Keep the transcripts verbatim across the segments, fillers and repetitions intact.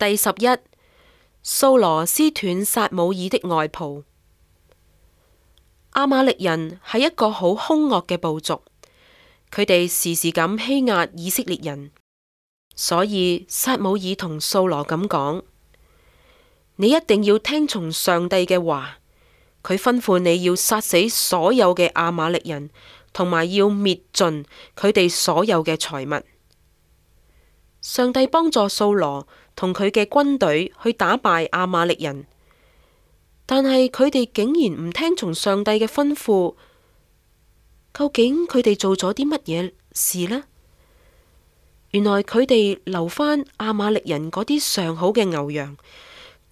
第十一，掃羅撕斷撒母耳的外袍。亞瑪力人係一個好兇惡嘅部族，佢哋時時咁欺壓以色列人，所以撒母耳同掃羅咁講：你一定要聽從上帝嘅話，佢吩咐你要殺死所有嘅亞瑪力人，同埋要滅盡佢哋所有嘅財物。上帝幫助掃羅同佢嘅軍隊去打敗亞瑪力人，但係佢哋竟然唔聽從上帝嘅吩咐。究竟佢哋做咗啲乜嘢事呢？原來佢哋留返亞瑪力人嗰啲上好嘅牛羊，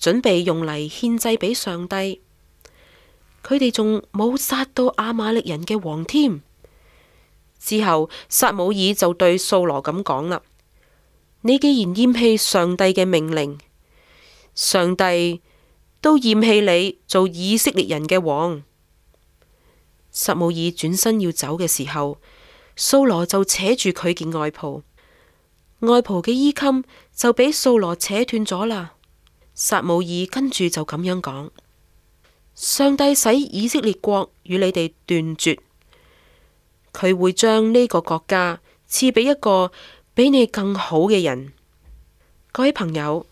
準備用嚟獻祭俾上帝。佢哋仲冇殺到亞瑪力人嘅王添。之後撒母耳就對掃羅咁講啦：你既然厭棄上帝嘅命令，上帝都厭棄你做以色列人嘅王。撒母耳轉身要走嘅時候，掃羅就扯住佢件外袍，外袍嘅衣襟就俾掃羅扯斷咗啦。撒母耳跟住就咁樣講：上帝使以色列國與你哋斷絕，佢會將呢個國家賜俾一個比你更好嘅人。各位朋友，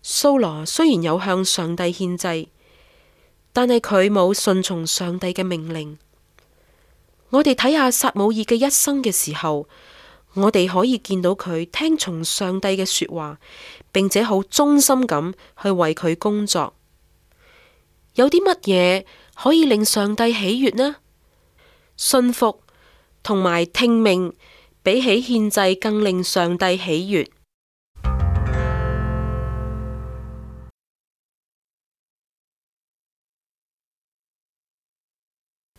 掃羅雖然有向上帝獻祭，但係佢冇順從上帝嘅命令。我哋睇下撒母耳嘅一生嘅時候，我哋可以見到佢聽從上帝嘅說話，並且好忠心咁去為佢工作。有啲乜嘢可以令上帝喜悅呢？信服同埋聽命，比起獻祭更令上帝喜悅。